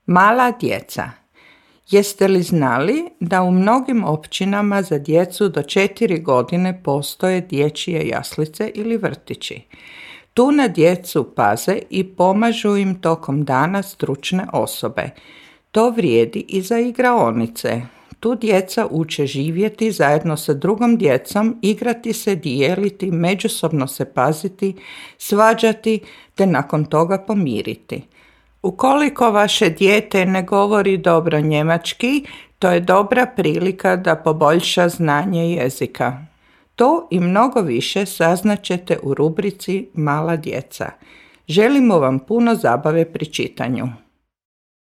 Mala djeca. Jeste li znali da u mnogim općinama za djecu do 4 godine postoje dječje jaslice ili vrtići? Tu na djecu paze i pomažu im tokom dana stručne osobe. To vrijedi i za igraonice. Tu djeca uče živjeti zajedno sa drugom djecom, igrati se, dijeliti, međusobno se paziti, svađati te nakon toga pomiriti. Ukoliko vaše dijete ne govori dobro njemački, to je dobra prilika da poboljša znanje jezika. To i mnogo više saznaćete u rubrici Mala djeca. Želimo vam puno zabave pri čitanju.